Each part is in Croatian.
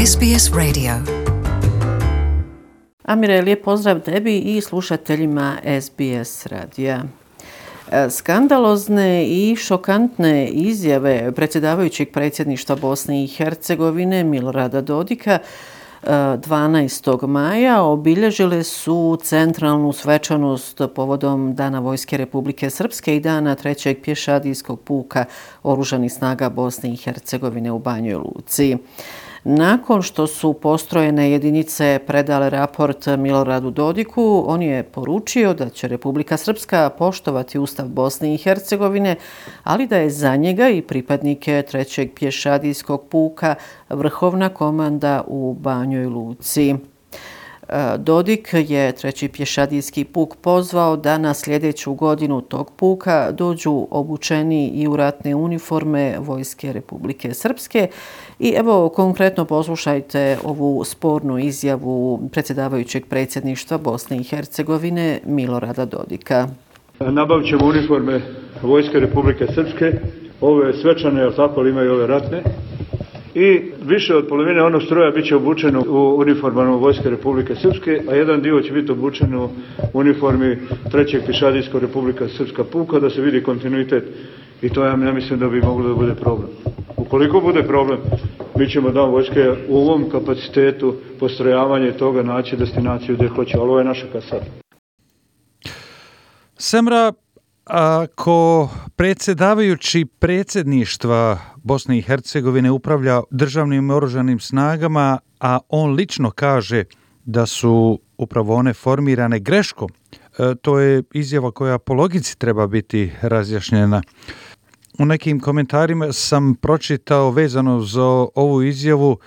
SBS Radio. Amire, lijep pozdrav tebi i slušateljima SBS radija. Skandalozne i šokantne izjave predsjedavajućeg predsjedništva Bosne i Hercegovine Milorada Dodika 12. maja obilježile su centralnu svečanost povodom Dana Vojske Republike Srpske i Dana 3. pješadijskog puka Oružanih snaga Bosne i Hercegovine u Banjoj Luci. Nakon što su postrojene jedinice predale raport Miloradu Dodiku, on je poručio da će Republika Srpska poštovati Ustav Bosne i Hercegovine, ali da je za njega i pripadnike 3. pješadijskog puka vrhovna komanda u Banjoj Luci. Dodik je 3. pješadijski puk pozvao da na sljedeću godinu tog puka dođu obučeni i u ratne uniforme Vojske Republike Srpske. I evo konkretno poslušajte ovu spornu izjavu predsjedavajućeg predsjedništva Bosne i Hercegovine Milorada Dodika. Nabavit ćemo uniforme Vojske Republike Srpske, ove svečane, ali tako li imaju ove ratne. I više od polovine onog stroja bit će obučeno u uniformama Vojske Republike Srpske, a jedan dio će biti obučen u uniformi 3. pješadijskog Republika Srpska puka, da se vidi kontinuitet. I to ja mislim da bi moglo da bude problem. Ukoliko bude problem, mi ćemo Dan vojske u ovom kapacitetu postrojavanje toga naći destinaciju gdje hoće, ali ovo je naša kasarna. Semra, ako predsjedavajući predsjedništva Bosne i Hercegovine upravlja državnim oružanim snagama, a on lično kaže da su upravo one formirane greškom, to je izjava koja po logici treba biti razjašnjena. U nekim komentarima sam pročitao vezano za ovu izjavu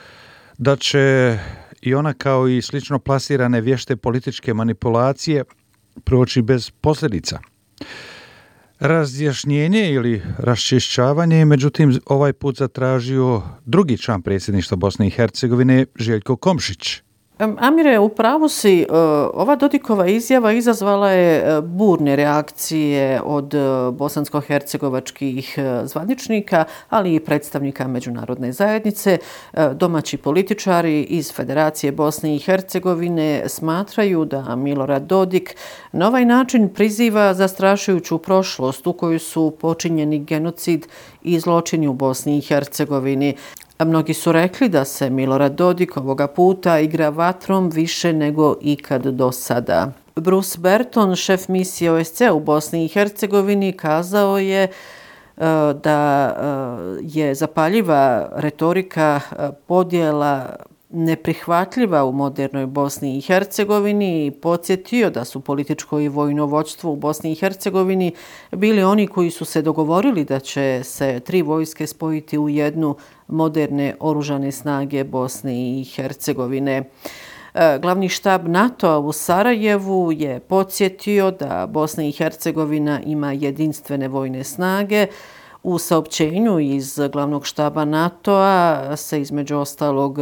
da će i ona kao i slično plasirane vješte političke manipulacije proći bez posljedica. Razjašnjenje ili raščišćavanje je međutim ovaj put zatražio drugi član predsjedništva Bosne i Hercegovine, Željko Komšić. Amire, u pravu si, ova Dodikova izjava izazvala je burne reakcije od bosansko-hercegovačkih zvaničnika, ali i predstavnika međunarodne zajednice. Domaći političari iz Federacije Bosne i Hercegovine smatraju da Milorad Dodik na ovaj način priziva zastrašujuću prošlost u kojoj su počinjeni genocid i zločini u Bosni i Hercegovini. Mnogi su rekli da se Milorad Dodik ovoga puta igra vatrom više nego ikad do sada. Bruce Berton, šef misije OSCE u Bosni i Hercegovini, kazao je da je zapaljiva retorika podjela neprihvatljiva u modernoj Bosni i Hercegovini i podsjetio da su političko i vojno vođstvo u Bosni i Hercegovini bili oni koji su se dogovorili da će se 3 vojske spojiti u jednu moderne oružane snage Bosne i Hercegovine. Glavni štab NATO-a u Sarajevu je podsjetio da Bosna i Hercegovina ima jedinstvene vojne snage. U saopćenju iz glavnog štaba NATO-a se između ostalog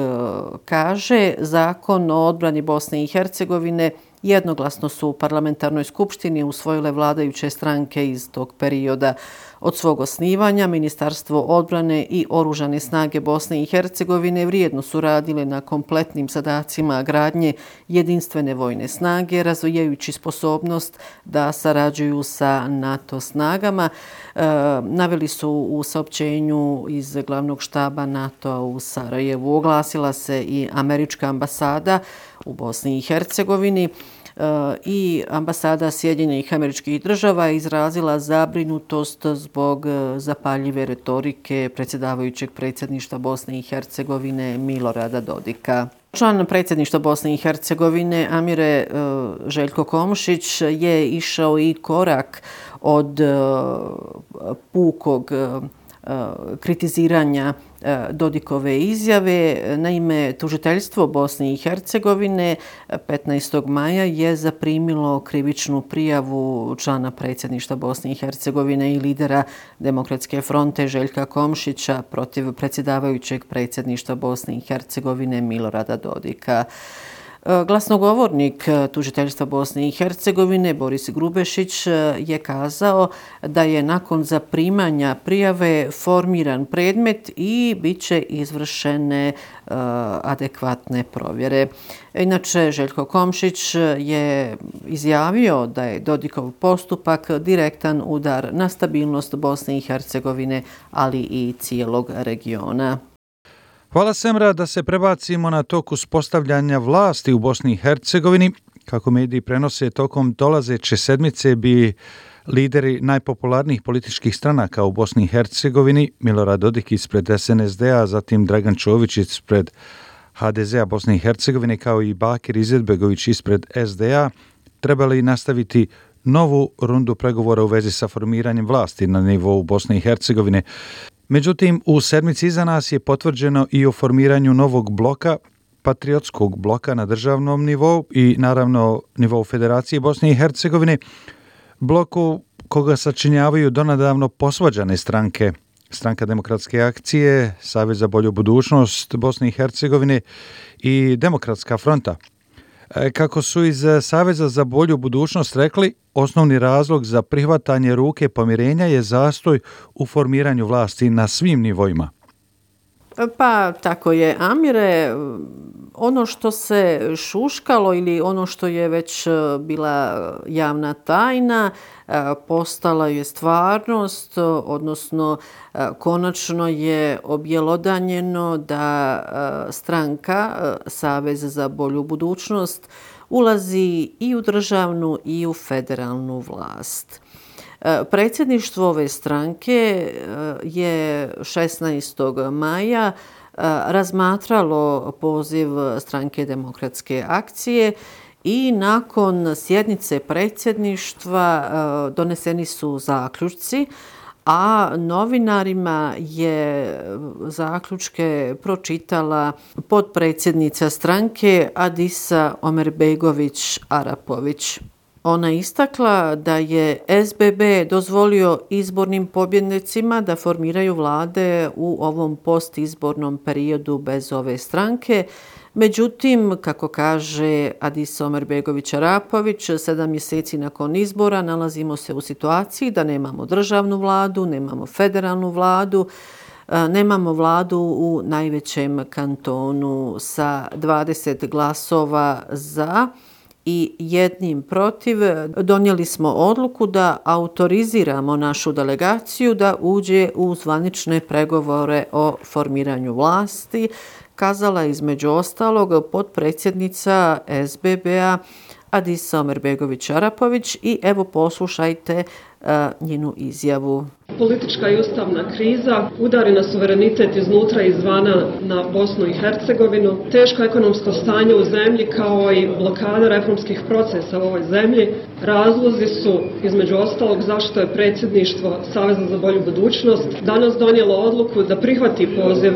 kaže: Zakon o odbrani Bosne i Hercegovine jednoglasno su u parlamentarnoj skupštini usvojile vladajuće stranke iz tog perioda. Od svog osnivanja Ministarstvo odbrane i Oružane snage Bosne i Hercegovine vrijedno su radile na kompletnim zadacima gradnje jedinstvene vojne snage, razvijajući sposobnost da sarađuju sa NATO snagama. Naveli su u saopćenju iz glavnog štaba NATO-a u Sarajevu. Oglasila se i američka ambasada u Bosni i Hercegovini i ambasada Sjedinjenih Američkih Država izrazila zabrinutost zbog zapaljive retorike predsjedavajućeg predsjedništva Bosne i Hercegovine Milorada Dodika. Član predsjedništva Bosne i Hercegovine Amire, Željko Komšić je išao i korak od pukog kritiziranja Dodikove izjave. Naime, tužiteljstvo Bosne i Hercegovine 15. maja je zaprimilo krivičnu prijavu člana predsjedništva Bosne i Hercegovine i lidera Demokratske fronte Željka Komšića protiv predsjedavajućeg predsjedništva Bosne i Hercegovine Milorada Dodika. Glasnogovornik tužiteljstva Bosne i Hercegovine Boris Grubešić je kazao da je nakon zaprimanja prijave formiran predmet i bit će izvršene adekvatne provjere. Inače, Željko Komšić je izjavio da je Dodikov postupak direktan udar na stabilnost Bosne i Hercegovine, ali i cijelog regiona. Hvala Semra, da se prebacimo na tok uspostavljanja vlasti u Bosni i Hercegovini. Kako mediji prenose, tokom dolazeće sedmice bi lideri najpopularnijih političkih stranaka u Bosni i Hercegovini, Milorad Dodik ispred SNSD-a, zatim Dragan Čović ispred HDZ-a Bosne i Hercegovine, kao i Bakir Izetbegović ispred SD-a, trebali nastaviti novu rundu pregovora u vezi sa formiranjem vlasti na nivou Bosne i Hercegovine. Međutim, u sedmici iza nas je potvrđeno i o formiranju novog bloka, patriotskog bloka na državnom nivou i naravno nivou Federacije Bosne i Hercegovine, bloku koga sačinjavaju donedavno posvađane stranke, Stranka demokratske akcije, Savez za bolju budućnost Bosne i Hercegovine i Demokratska fronta. Kako su iz Saveza za bolju budućnost rekli, osnovni razlog za prihvatanje ruke pomirenja je zastoj u formiranju vlasti na svim nivoima. Pa tako je, Amire. Ono što se šuškalo ili ono što je već bila javna tajna postala je stvarnost, odnosno konačno je objelodanjeno da stranka Savez za bolju budućnost ulazi i u državnu i u federalnu vlast. Predsjedništvo ove stranke je 16. maja razmatralo poziv Stranke demokratske akcije i nakon sjednice predsjedništva doneseni su zaključci, a novinarima je zaključke pročitala potpredsjednica stranke Adisa Omerbegović Arapović. Ona je istakla da je SBB dozvolio izbornim pobjednicima da formiraju vlade u ovom postizbornom periodu bez ove stranke. Međutim, kako kaže Adis Omerbegović Arapović, 7 mjeseci nakon izbora nalazimo se u situaciji da nemamo državnu vladu, nemamo federalnu vladu, nemamo vladu u najvećem kantonu sa 20 glasova za i 1 protiv. Donijeli smo odluku da autoriziramo našu delegaciju da uđe u zvanične pregovore o formiranju vlasti, kazala između ostalog potpredsjednica SBB-a Adisa Omerbegović Arapović i evo poslušajte njenu izjavu. Politička i ustavna kriza udari na suverenitet iznutra i izvana na Bosnu i Hercegovinu. Teško ekonomsko stanje u zemlji kao i blokada reformskih procesa u ovoj zemlji razlozi su, između ostalog, zašto je predsjedništvo Saveza za bolju budućnost danas donijelo odluku da prihvati poziv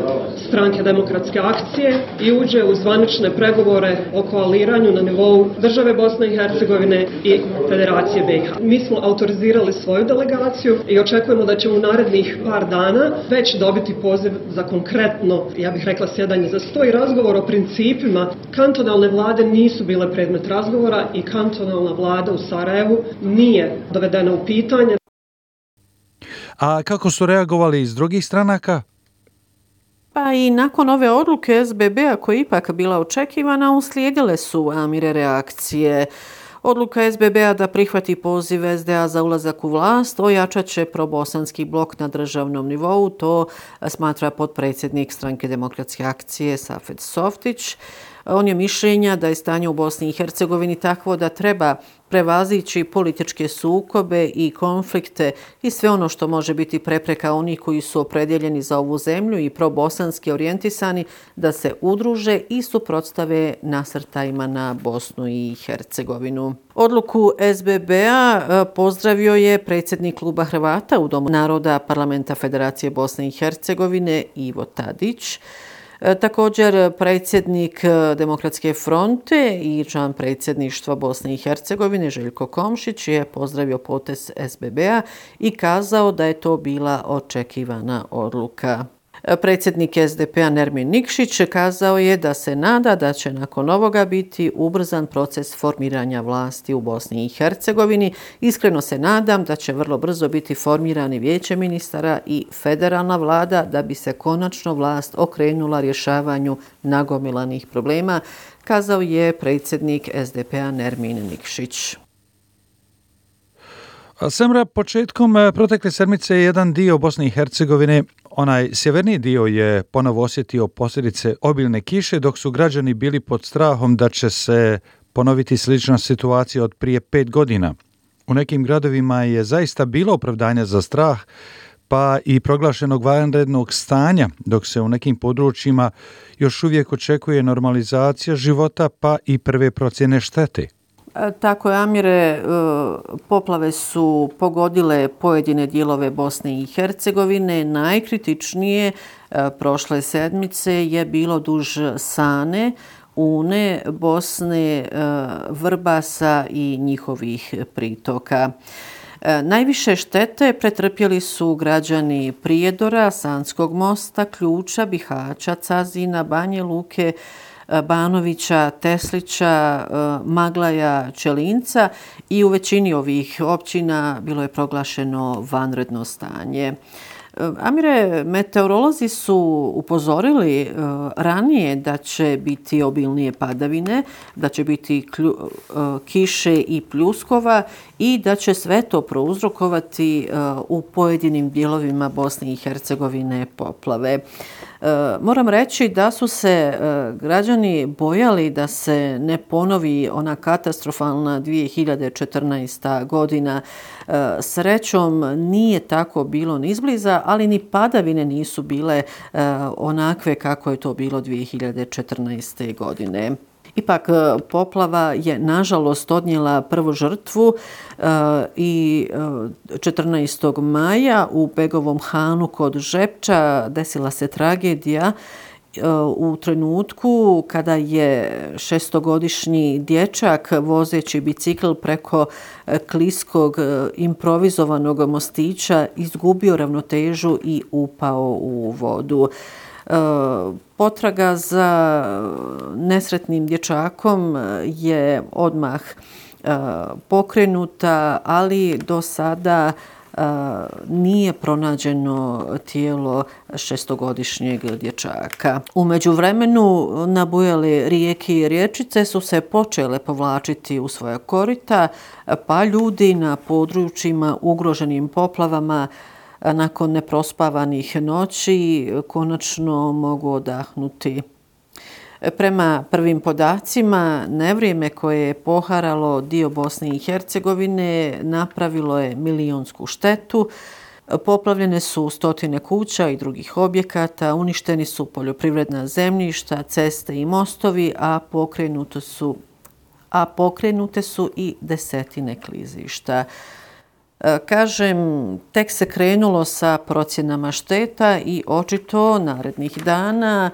Stranke demokratske akcije i uđe u zvanične pregovore o koaliranju na nivou države Bosne i Hercegovine i Federacije BiH. Mi smo autorizirali svoju delegaciju i očekujemo da ćemo u narednih par dana već dobiti poziv za konkretno, ja bih rekla, sjedanje za sto i razgovor o principima. Kantonalne vlade nisu bile predmet razgovora i kantonalna vlada u Sarajevu nije dovedena u pitanje. A kako su reagovali iz drugih stranaka? Pa i nakon ove odluke SBB-a koja je ipak bila očekivana, uslijedile su, Amire, reakcije. Odluka SBB-a da prihvati poziv SDA za ulazak u vlast ojačat će probosanski blok na državnom nivou, to smatra potpredsjednik Stranke demokratske akcije Safet Softić. On je mišljenja da je stanje u Bosni i Hercegovini takvo da treba prevazići političke sukobe i konflikte i sve ono što može biti prepreka onih koji su opredjeljeni za ovu zemlju i probosanski orijentisani da se udruže i suprotstave nasrtajima na Bosnu i Hercegovinu. Odluku SBB-a pozdravio je predsjednik kluba Hrvata u Domu naroda Parlamenta Federacije Bosne i Hercegovine Ivo Tadić. Također predsjednik Demokratske fronte i član predsjedništva Bosne i Hercegovine Željko Komšić je pozdravio potez SBB-a i kazao da je to bila očekivana odluka. Predsjednik SDP-a Nermin Nikšić kazao je da se nada da će nakon ovoga biti ubrzan proces formiranja vlasti u Bosni i Hercegovini. Iskreno se nadam da će vrlo brzo biti formirani vijeće ministara i federalna vlada da bi se konačno vlast okrenula rješavanju nagomilanih problema, kazao je predsjednik SDP-a Nermin Nikšić. Semra, početkom protekle sedmice jedan dio Bosne i Hercegovine, onaj sjeverniji dio, je ponovo osjetio posljedice obilne kiše, dok su građani bili pod strahom da će se ponoviti slična situacija od prije 5 godina. U nekim gradovima je zaista bilo opravdanja za strah, pa i proglašenog vanrednog stanja, dok se u nekim područjima još uvijek očekuje normalizacija života, pa i prve procjene štete. Tako je, Amire, poplave su pogodile pojedine dijelove Bosne i Hercegovine. Najkritičnije prošle sedmice je bilo duž Sane, Une, Bosne, Vrbasa i njihovih pritoka. Najviše štete pretrpjeli su građani Prijedora, Sanskog mosta, Ključa, Bihaća, Cazina, Banje Luke, Banovića, Teslića, Maglaja, Čelinca i u većini ovih općina bilo je proglašeno vanredno stanje. Amire, meteorolozi su upozorili ranije da će biti obilnije padavine, da će biti kiše i pljuskova i da će sve to prouzrokovati u pojedinim dijelovima Bosne i Hercegovine poplave. Moram reći da su se građani bojali da se ne ponovi ona katastrofalna 2014. godina. Srećom nije tako bilo ni izbliza, ali ni padavine nisu bile onakve kako je to bilo 2014. godine. Ipak poplava je nažalost odnijela prvu žrtvu i 14. maja u Begovom Hanu kod Žepča desila se tragedija u trenutku kada je 6-godišnji dječak vozeći bicikl preko kliskog improvizovanog mostića izgubio ravnotežu i upao u vodu. Potraga za nesretnim dječakom je odmah pokrenuta, ali do sada nije pronađeno tijelo 6-godišnjeg dječaka. U međuvremenu nabujale rijeke i rječice su se počele povlačiti u svoja korita, pa ljudi na područjima ugroženim poplavama nakon neprospavanih noći konačno mogu odahnuti. Prema prvim podacima, nevrijeme koje je poharalo dio Bosne i Hercegovine napravilo je milionsku štetu. Poplavljene su stotine kuća i drugih objekata, uništeni su poljoprivredna zemljišta, ceste i mostovi, a pokrenute su i desetine klizišta. Kažem, tek se krenulo sa procjenama šteta i očito narednih dana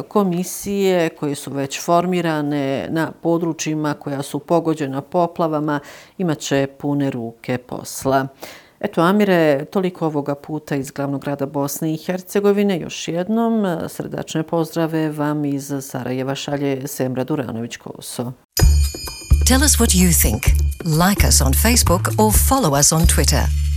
komisije koje su već formirane na područjima koja su pogođena poplavama imat će pune ruke posla. Eto, Amire, toliko ovoga puta iz glavnog grada Bosne i Hercegovine. Još jednom srdačne pozdrave vam iz Sarajeva šalje Semra Duranović-Koso. Tell us what you think. Like us on Facebook or follow us on Twitter.